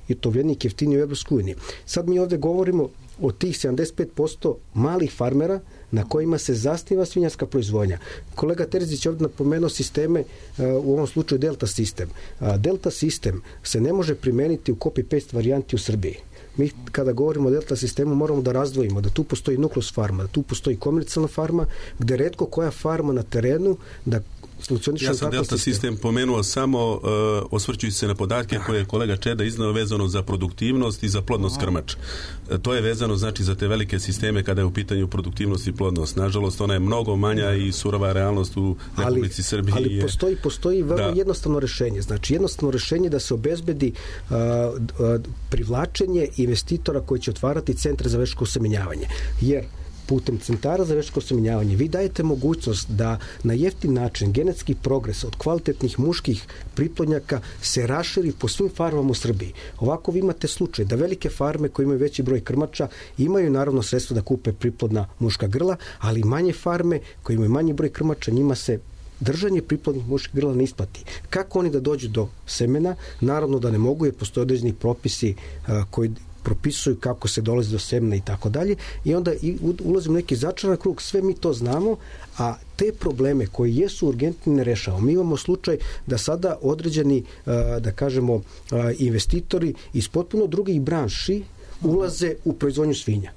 i tovljenik jeftiniji u Evropskoj uniji. Sad mi ovde govorimo o tih 75% malih farmera na kojima se zasniva svinjarska proizvodnja. Kolega Terzić je ovdje napomenuo sisteme, u ovom slučaju Delta sistem. Delta sistem se ne može primeniti u copy-paste varijanti u Srbiji. Mi kada govorimo o Delta sistemu moramo da razdvojimo da tu postoji nukleus farma, da tu postoji komercijalna farma, gde retko koja farma na terenu da funkcioniše. Ja sam Delta sistem pomenuo samo osvrćujući se na podatke koje je kolega Čeda iznao vezano za produktivnost i za plodnost krmača. To je vezano znači za te velike sisteme kada je u pitanju produktivnost i plodnost. Nažalost, ona je mnogo manja i surova realnost u Republici Srbiji. Ali postoji vrlo jednostavno rešenje. Znači jednostavno rešenje da se obezbedi privlačenje investitora koji će otvarati centre za veštačko osemenjavanje. Jer putem centara za veštačko osemenjavanje vi dajete mogućnost da na jeftin način genetski progres od kvalitetnih muških priplodnjaka se raširi po svim farmama u Srbiji. Ovako vi imate slučaj da velike farme koje imaju veći broj krmača imaju naravno sredstvo da kupe priplodna muška grla, ali manje farme koje imaju manji broj krmača njima se držanje priplodnih muških grla ne isplati. Kako oni da dođu do semena? Naravno da ne mogu jer postoje određeni propisi koji propisuju kako se dolazi do semena i tako dalje i onda ulazimo u neki začaran krug, sve mi to znamo, a te probleme koji jesu urgentni ne rešavamo. Mi imamo slučaj da sada određeni, da kažemo, investitori iz potpuno drugih branši ulaze u proizvodnju svinja.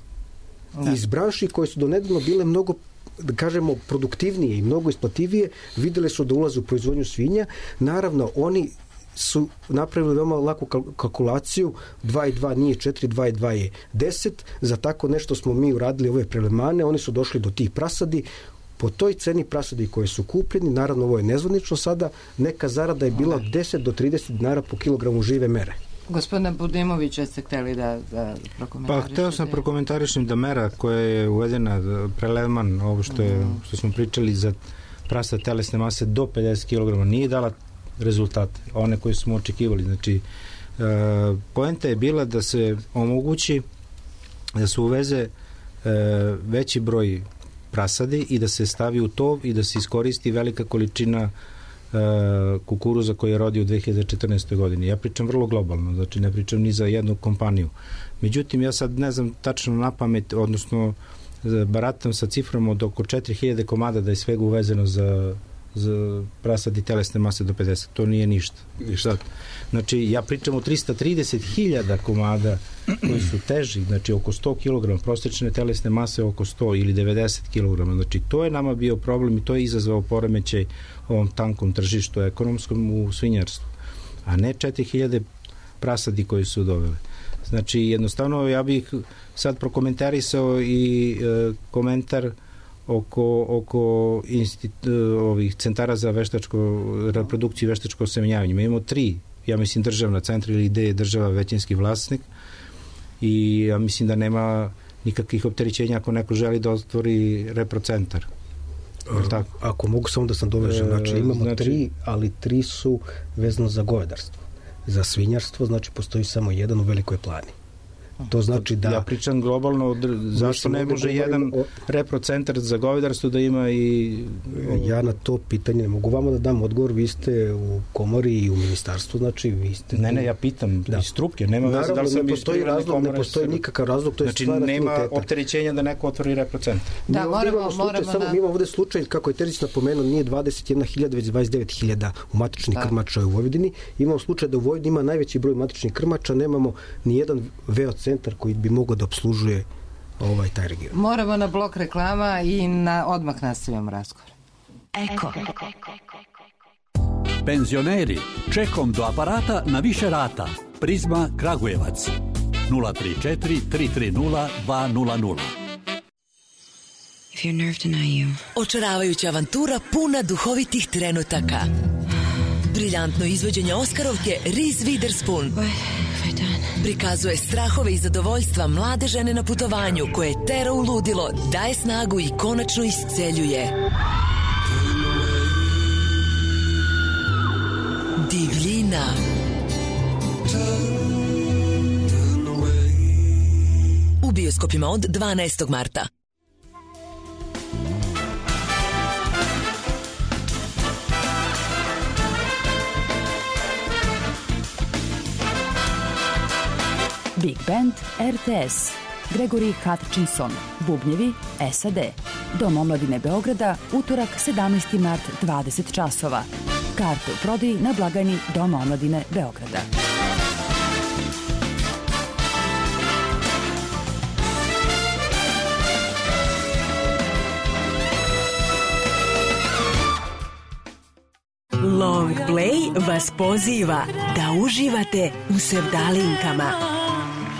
Iz branši koje su donedavno bile mnogo da kažemo produktivnije i mnogo isplativije, videli su da ulaze u proizvodnju svinja. Naravno, oni su napravili veoma laku kalkulaciju, 2 i 2 nije 4, 2 i 2 je 10, za tako nešto smo mi uradili ove prelemane, oni su došli do tih prasadi, po toj ceni prasadi koje su kupljeni, naravno ovo je nezvanično sada, neka zarada je bila od 10 do 30 dinara po kilogramu žive mere. Gospodine Budimović, jeste hteli da prokomentarišete? Pa, hteo sam prokomentarišem da mera koja je uvedena, preleman, ovo što smo pričali za prasad telesne mase do 50 kg, nije dala rezultate, one koje smo očekivali. Znači, poenta je bila da se omogući da se uveze veći broj prasadi i da se stavi u tov i da se iskoristi velika količina kukuruza koji je rodio u 2014. godini. Ja pričam vrlo globalno, znači ne pričam ni za jednu kompaniju. Međutim, ja sad ne znam tačno na pamet, odnosno baratam sa cifrom od oko 4000 komada da je svega uvezeno za prasad i telesne mase do 50. To nije ništa. Znači, ja pričam o 330.000 komada koji su teži, znači oko 100 kg, prosječne telesne mase oko 100 ili 90 kg. Znači, to je nama bio problem i to je izazvao poremećaj ovom tankom tržištu ekonomskom u svinjarstvu, a ne 4000 prasadi koji su doveli. Znači, jednostavno, ja bih sad prokomentarisao i komentar oko ovih centara za reprodukciju i veštačko osemenjavanje. Mi imamo 3, ja mislim, državna centra ili gde je država većinski vlasnik i ja mislim da nema nikakvih opterećenja ako neko želi da otvori reprocentar. Ako mogu samo da sam dovežem, znači imamo 3, ali 3 su vezano za govedarstvo. Za svinjarstvo, znači postoji samo jedan u Velikoj Plani. To znači da... Ja pričam globalno, zašto ne može jedan reprocentar za govedarstvo da ima i... Ja na to pitanje ne mogu vama da dam odgovor, vi ste u komori i u ministarstvu, znači vi ste... Ne, ja pitam iz struke, nema veze da li sam iz privredne komore... Ne postoji nikakav razlog, to je znači, stvar afiniteta. Znači nema opterećenja da neko otvori reprocentar. Da, mi imamo ovde slučaj, kako je Terzić napomenuo, nije 21.000, već 29.000 u matičnih krmača u Vojvodini. Imamo slučaj da u Vojvodini ima najveći broj matičnih krmača, nemamo ni jedan VO centar koji bi mogao da obslužuje taj region. Moramo na blok reklama i odmah nastavljamo razgovor. Eko. Penzioneri, čekom do aparata na više rata. Prizma Kragujevac 034 330 200. Očaravajuća avantura puna duhovitih trenutaka. Briljantno izvođenje Oskarovke Reese Witherspoon prikazuje strahove i zadovoljstva mlade žene na putovanju koje tera u ludilo, daje snagu i konačno isceljuje. Divljina. U bioskopima od 12. marta. Big Band RTS, Gregory Hutchinson, bubnjevi SAD. Dom omladine Beograda, utorak 17. mart 20 časova. Karte u prodaji na blagajni Doma omladine Beograda. Long Play vas poziva da uživate u sevdalinkama.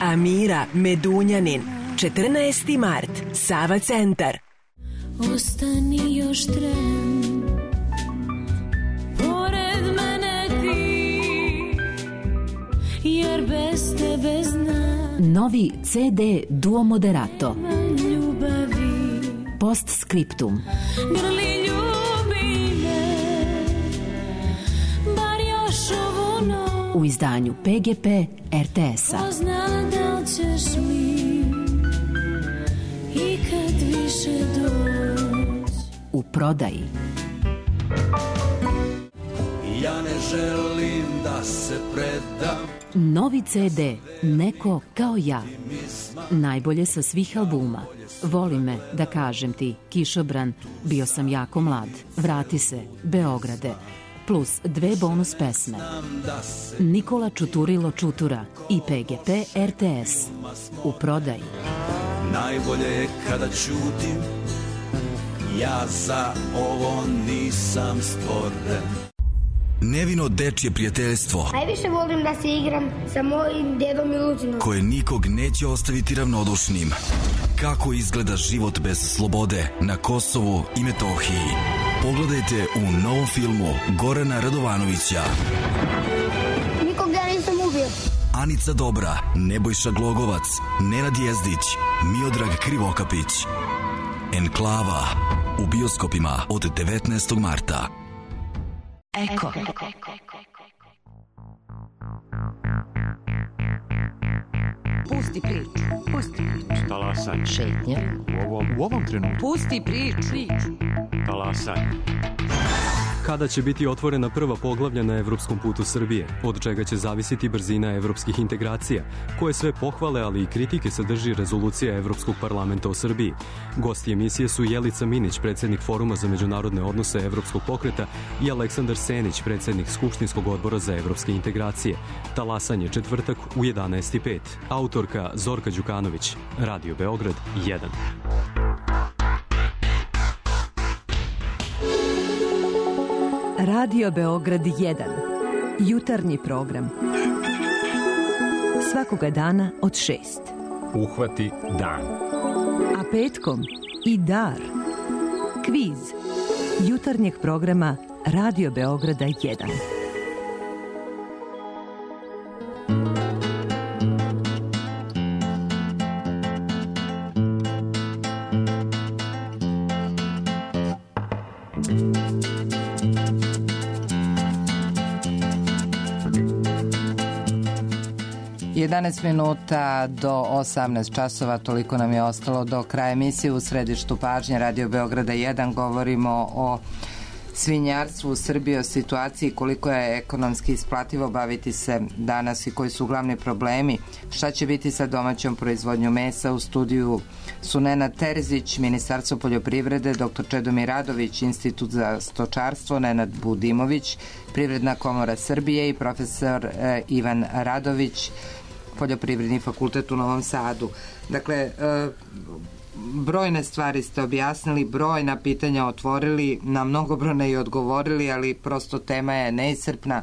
Amira Medunjanin, 14. mart, Sava centar. Ostani još tren, pored mene ti, jer bez tebe znam. Novi CD Duo Moderato. Ljubavi. Postscriptum. Grli ljubi me, bar još ovu noć. U izdanju PGP RTS-a. Ko zna da li ćeš mi ikad više doći. U prodaji. Ja ne želim da se predam. Novi CD Neko kao ja. Najbolje sa svih albuma. Voli me, da kažem ti, Kišobran, Bio sam jako mlad, Vrati se, Beograde, plus 2 bonus pesme. Nikola Čuturilo Čutura i PGP RTS. U prodaji. Najbolje je kada ćutim, ja za ovo nisam stvoren. Nevino dečje prijateljstvo. Najviše volim da se igram sa mojim dedom Miluđinom. Koje nikog neće ostaviti ravnodušnim. Kako izgleda život bez slobode na Kosovu i Metohiji. Pogledajte u novom filmu Gorana Radovanovića. Nikog ja nisam ubio. Anica Dobra, Nebojša Glogovac, Nenad Jezdić, Miodrag Krivokapić. Enklava u bioskopima od 19. marta. Eko. Pusti priču. Talasanje. Šetnja. U ovom trenutku. Pusti priču. Talasanje. Kada će biti otvorena prva poglavlja na evropskom putu Srbije, od čega će zavisiti brzina evropskih integracija, koje sve pohvale, ali i kritike sadrži rezolucija Evropskog parlamenta o Srbiji. Gosti emisije su Jelica Minić, predsjednik Foruma za međunarodne odnose Evropskog pokreta, i Aleksandar Senić, predsjednik Skupštinskog odbora za evropske integracije. Talasanje četvrtak u 11:05. Autorka Zorka Đukanović. Radio Beograd 1. Radio Beograd 1. Jutarnji program. Svakoga dana od 6. Uhvati dan. A petkom i dar. Kviz. Jutarnjeg programa Radio Beograda 1. Jedanaest minuta do 18 časova, toliko nam je ostalo do kraja emisije. U središtu pažnje Radio Beograda 1 govorimo o svinjarstvu u Srbiji, o situaciji, koliko je ekonomski isplativo baviti se danas i koji su glavni problemi, šta će biti sa domaćom proizvodnjom mesa. U studiju su Nenad Terzić, Ministarstvo poljoprivrede, dr. Čedomir Radović, Institut za stočarstvo, Nenad Budimović, Privredna komora Srbije i profesor Ivan Radović, Poljoprivredni fakultet u Novom Sadu. Dakle, brojne stvari ste objasnili, brojna pitanja otvorili, na mnogobrojne i odgovorili, ali prosto tema je neiscrpna.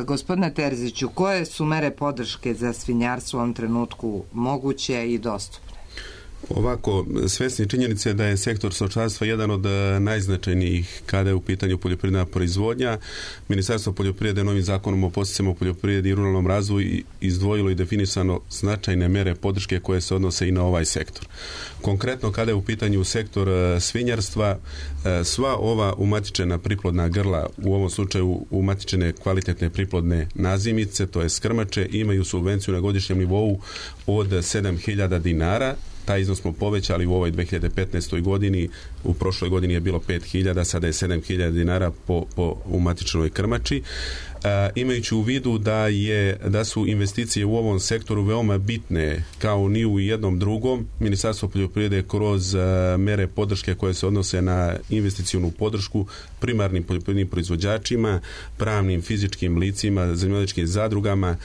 Gospodine Terziću, koje su mere podrške za svinjarstvo u ovom trenutku moguće i dostupne? Ovako, svesni činjenice da je sektor stočarstva jedan od najznačajnijih kada je u pitanju poljoprivredna proizvodnja. Ministarstvo poljoprivrede novim zakonom o podsticajima u poljoprivredi i ruralnom razvoju izdvojilo i definisano značajne mere podrške koje se odnose i na ovaj sektor. Konkretno, kada je u pitanju sektor svinjarstva, sva ova umatičena priplodna grla, u ovom slučaju umatičene kvalitetne priplodne nazimice, to je krmače, imaju subvenciju na godišnjem nivou od 7.000 dinara taj iznos smo povećali u ovoj 2015. godini, u prošloj godini je bilo 5.000, sada je 7.000 dinara u matičnoj krmači. Imajući u vidu da su investicije u ovom sektoru veoma bitne kao ni u jednom drugom, Ministarstvo poljoprivrede kroz mere podrške koje se odnose na investicionu podršku primarnim poljoprivrednim proizvođačima, pravnim fizičkim licima, zemljoradničkim zadrugama,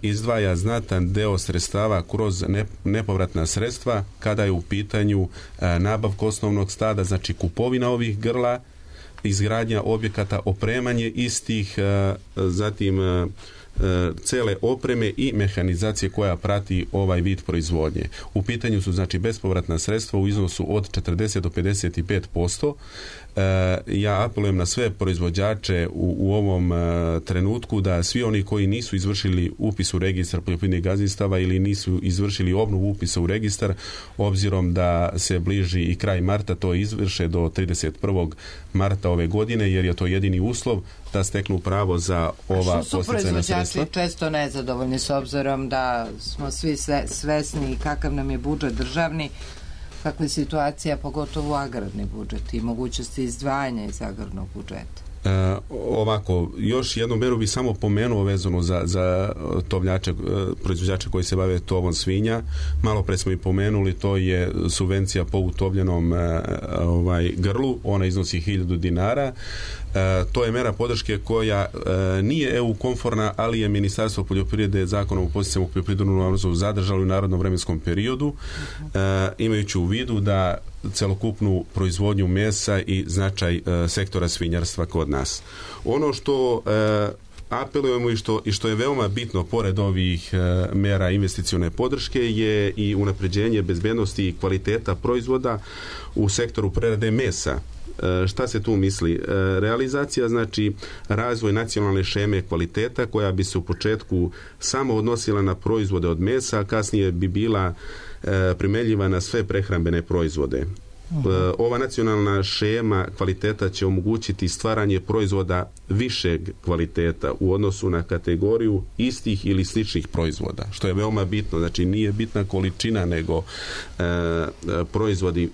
izdvaja znatan deo sredstava kroz nepovratna sredstva kada je u pitanju nabavka osnovnog stada, znači kupovina ovih grla, izgradnja objekata, opremanje istih, zatim cele opreme i mehanizacije koja prati ovaj vid proizvodnje. U pitanju su znači bespovratna sredstva u iznosu od 40 do 55%. Ja apelujem na sve proizvođače u ovom trenutku da svi oni koji nisu izvršili upis u registar poljoprivrednih gazdinstava ili nisu izvršili obnovu upisa u registar, obzirom da se bliži i kraj marta, to izvrše do 31. marta ove godine, jer je to jedini uslov da steknu pravo za ova podsticajna sredstva. Što su proizvođači često nezadovoljni s obzirom da smo svi svesni kakav nam je budžet državni, kakva je situacija, pogotovo agrarni budžet i mogućnosti izdvajanja iz agrarnog budžeta? Ovako, još jednu meru bi samo pomenuo vezano za tovljače, proizvođače koji se bave tovom svinja. Malo pre smo i pomenuli, to je subvencija po utovljenom grlu, ona iznosi 1.000 dinara. To je mera podrške koja nije EU konforna, ali je Ministarstvo poljoprivrede zakonom o podsticajima u poljoprivrednom razvoju zadržalo u narodnom vremenskom periodu, imajući u vidu da celokupnu proizvodnju mesa i značaj sektora svinjarstva kod nas. Ono što apelujemo i što je veoma bitno pored ovih mera investicione podrške je i unapređenje bezbednosti i kvaliteta proizvoda u sektoru prerade mesa. Šta se tu misli? Realizacija znači razvoj nacionalne šeme kvaliteta koja bi se u početku samo odnosila na proizvode od mesa, a kasnije bi bila primenljiva na sve prehrambene proizvode. Ova nacionalna šema kvaliteta će omogućiti stvaranje proizvoda višeg kvaliteta u odnosu na kategoriju istih ili sličnih proizvoda, što je veoma bitno. Znači nije bitna količina, nego proizvodi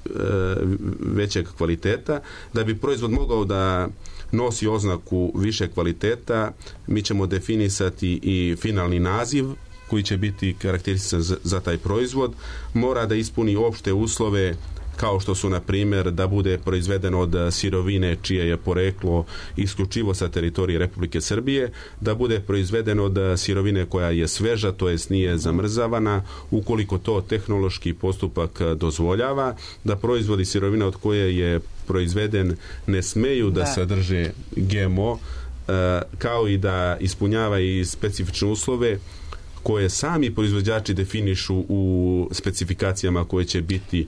većeg kvaliteta. Da bi proizvod mogao da nosi oznaku više kvaliteta, mi ćemo definisati i finalni naziv koji će biti karakterističan za taj proizvod. Mora da ispuni opšte uslove kao što su, na primjer, da bude proizveden od sirovine čije je poreklo isključivo sa teritorije Republike Srbije, da bude proizveden od sirovine koja je sveža, to jest nije zamrzavana, ukoliko to tehnološki postupak dozvoljava, da proizvodi sirovina od koje je proizveden ne smeju da sadrže GMO, kao i da ispunjava i specifične uslove koje sami proizvođači definišu u specifikacijama koje će biti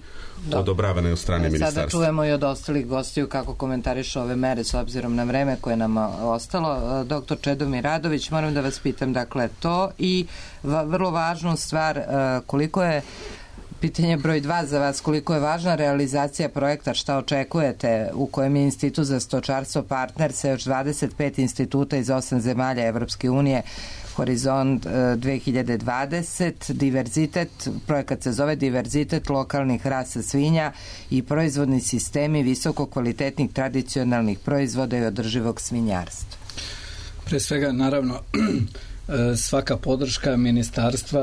odobravane od strane ministarstva. Sada čujemo i od ostalih gostiju kako komentarišu ove mere s obzirom na vreme koje nam ostalo. Doktor Čedomir Radović, moram da vas pitam, dakle, to i vrlo važnu stvar, koliko je pitanje broj 2 za vas, koliko je važna realizacija projekta, šta očekujete, u kojem je Institut za stočarstvo partner sa još 25 instituta iz 8 zemalja Evropske unije, Horizont 2020, diverzitet, projekat se zove diverzitet lokalnih rasa svinja i proizvodni sistemi visoko kvalitetnih tradicionalnih proizvoda i održivog svinjarstva. Pre svega, naravno, svaka podrška ministarstva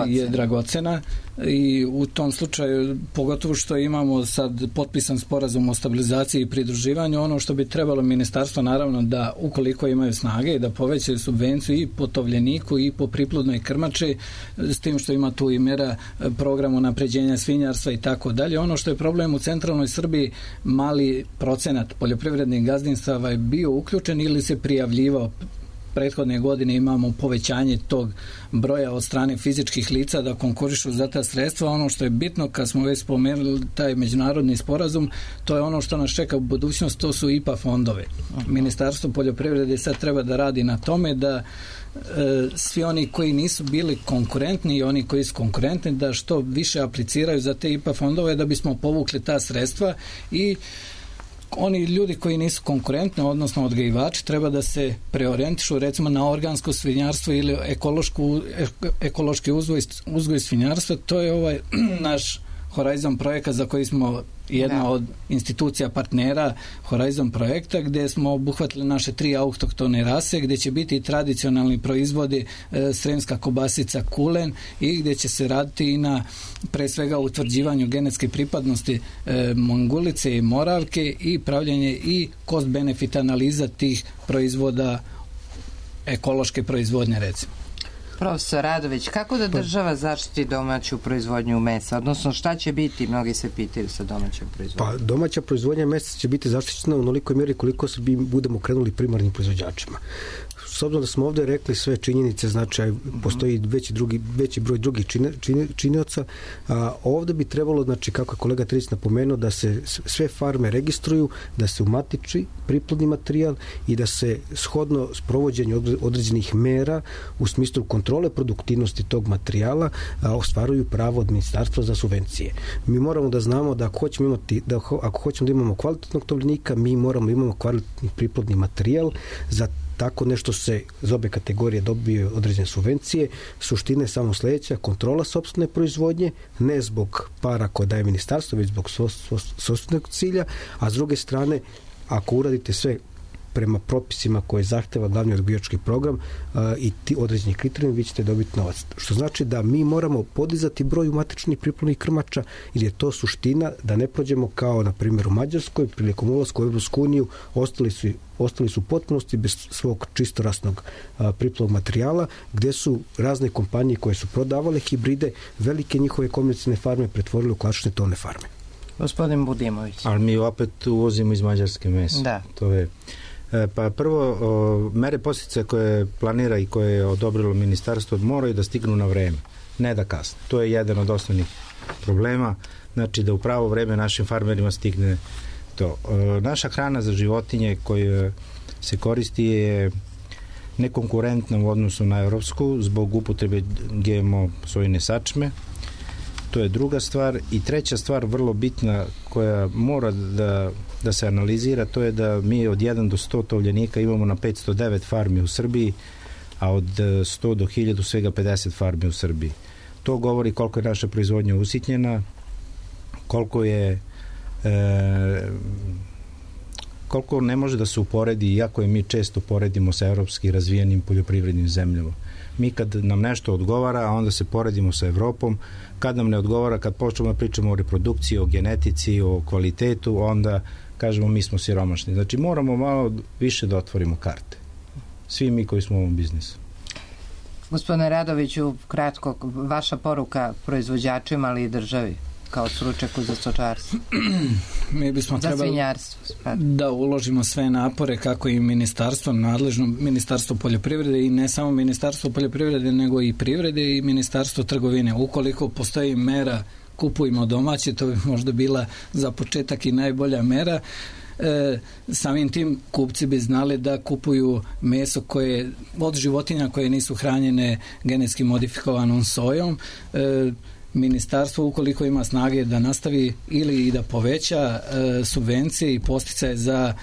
je dragocena i u tom slučaju, pogotovo što imamo sad potpisan sporazum o stabilizaciji i pridruživanju, ono što bi trebalo ministarstvo naravno da, ukoliko imaju snage, da povećaju subvenciju i po tovljeniku i po priplodnoj krmači, s tim što ima tu i mera programa unapređenja svinjarstva i tako dalje. Ono što je problem u centralnoj Srbiji, mali procenat poljoprivrednih gazdinstava je bio uključen ili se prijavljivao. Prethodne godine imamo povećanje tog broja od strane fizičkih lica da konkurišu za ta sredstva. Ono što je bitno, kad smo već spomenuli taj međunarodni sporazum, to je ono što nas čeka u budućnost, to su IPA fondove. Ministarstvo poljoprivrede sad treba da radi na tome da svi oni koji nisu bili konkurentni i oni koji su konkurentni da što više apliciraju za te IPA fondove da bismo povukli ta sredstva i oni ljudi koji nisu konkurentni, odnosno odgajivači, treba da se preorijentišu recimo na organsko svinjarstvo ili ekološki uzgoj svinjarstva. To je naš Horizon projekat za koji smo jedna od institucija partnera Horizon projekta, gdje smo obuhvatili naše 3 autohtone rase, gdje će biti i tradicionalni proizvodi sremska kobasica kulen i gdje će se raditi i na pre svega utvrđivanju genetske pripadnosti mongulice i moravke i pravljenje i cost benefit analiza tih proizvoda ekološke proizvodnje recimo. Profesor Radović, kako da država zaštiti domaću proizvodnju mesa? Odnosno, šta će biti, mnogi se pitaju sa domaćom proizvodnjom? Pa, domaća proizvodnja mesa će biti zaštićena u onolikoj mjeri koliko se budemo krenuli primarnim proizvođačima. S obzirom da smo ovdje rekli sve činjenice, znači postoji veći broj drugih činioca, ovdje bi trebalo, znači kako je kolega Trić napomenuo, da se sve farme registruju, da se umatiči priplodni materijal i da se shodno sprovođenju određenih mera u smislu kontrole produktivnosti tog materijala ostvaruju pravo od ministarstva za subvencije. Mi moramo da znamo da ako hoćemo da imamo kvalitetnog tovljenika, mi moramo da imamo kvalitetni priplodni materijal. Za tako nešto se iz obe kategorije dobije određene subvencije. Suština je samo sljedeća: kontrola sopstvene proizvodnje, ne zbog para koje daje ministarstvo, već zbog sopstvenog cilja, a s druge strane, ako uradite sve prema propisima koje zahteva glavni odgajivački program i ti određeni kriterijumi, vi ćete dobiti novac. Što znači da mi moramo podizati broj matičnih priplodnih krmača, jer je to suština da ne prođemo kao na primjer u Mađarskoj prilikom ulaska u Evropsku uniju, ostali su u potpunosti bez svog čistorasnog priplodnog materijala, gdje su razne kompanije koje su prodavale hibride, velike njihove komercijalne farme pretvorile u klasične tovne farme. Gospodin Budimović. Ali mi opet uvozimo iz Mađarske mesa. Da. To je... Pa prvo, mere posljedice koje planira i koje je odobrilo ministarstvo moraju da stignu na vreme, ne da kasne. To je jedan od osnovnih problema, znači da u pravo vreme našim farmerima stigne to. Naša hrana za životinje koja se koristi je nekonkurentna u odnosu na evropsku zbog upotrebe GMO sojine sačme. To je druga stvar. I treća stvar, vrlo bitna, koja mora da se analizira, to je da mi od 1 do 100 tovljenika imamo na 509 farmi u Srbiji, a od 100 do 1000 svega 50 farmi u Srbiji. To govori koliko je naša proizvodnja usitnjena, koliko ne može da se uporedi, iako je mi često poredimo sa evropski razvijenim poljoprivrednim zemljama. Mi kad nam nešto odgovara, a onda se poredimo sa Evropom, kad nam ne odgovara, kad počnemo da pričamo o reprodukciji, o genetici, o kvalitetu, onda kažemo mi smo siromašni. Znači moramo malo više da otvorimo karte. Svi mi koji smo u ovom biznisu. Gospodine Radoviću, kratko, vaša poruka proizvođačima, ali i državi, kao stručnjaku za stočarstvo. Mi bismo trebali svinjarstvo, da uložimo sve napore, kako i ministarstvo, nadležno ministarstvo poljoprivrede i ne samo ministarstvo poljoprivrede, nego i privrede i ministarstvo trgovine. Ukoliko postoji mera kupujmo domaće, to bi možda bila za početak i najbolja mera. Samim tim kupci bi znali da kupuju meso koje od životinja koje nisu hranjene genetski modifikovanom sojom. Ministarstvo, ukoliko ima snage da nastavi ili i da poveća subvencije i posticaje za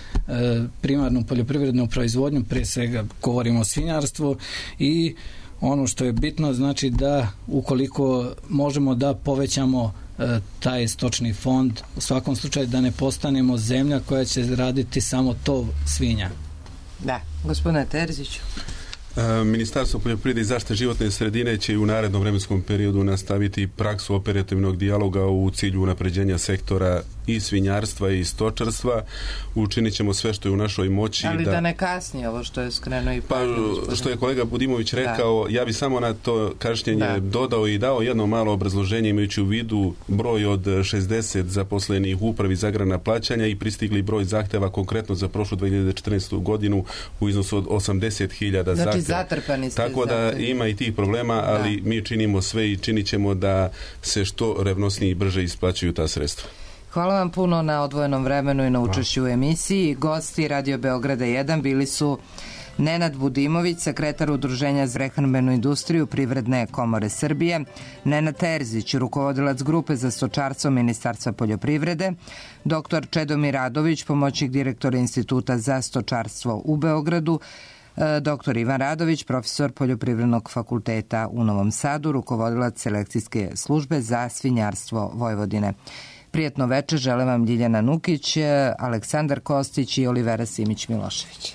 primarnu poljoprivrednu proizvodnju, prije svega govorimo o svinjarstvu, i ono što je bitno, znači da ukoliko možemo da povećamo taj stočni fond, u svakom slučaju da ne postanemo zemlja koja će raditi samo tov svinja. Da, gospodine Terziću. Ministarstvo poljoprivrede i zaštite životne sredine će i u narednom vremenskom periodu nastaviti praksu operativnog dijaloga u cilju unapređenja sektora i svinjarstva i stočarstva. Učinit ćemo sve što je u našoj moći. Ali da ne kasni ovo što je skrenuo i što je kolega Budimović rekao, ja bi samo na to kašnjenje dodao i dao jedno malo obrazloženje, imajući u vidu broj od 60 zaposlenih u upravi za agrarna plaćanja i pristigli broj zahteva konkretno za prošlu 2014. godinu u iznosu od 80.000 zahteva. Tako da ima i tih problema, ali mi činimo sve i činit ćemo da se što revnosnije i brže isplaćuju ta sredstva. Hvala vam puno na odvojenom vremenu i na učešću u emisiji. Gosti Radio Beograda 1 bili su Nenad Budimović, sekretar Udruženja za prehrambenu industriju Privredne komore Srbije, Nenad Terzić, rukovodilac grupe za stočarstvo Ministarstva poljoprivrede, dr. Čedomir Radović, pomoćnik direktora Instituta za stočarstvo u Beogradu, dr. Ivan Radović, profesor Poljoprivrednog fakulteta u Novom Sadu, rukovodilac selekcijske službe za svinjarstvo Vojvodine. Prijatno veče žele vam Ljiljana Nukić, Aleksandar Kostić i Olivera Simić Milošević.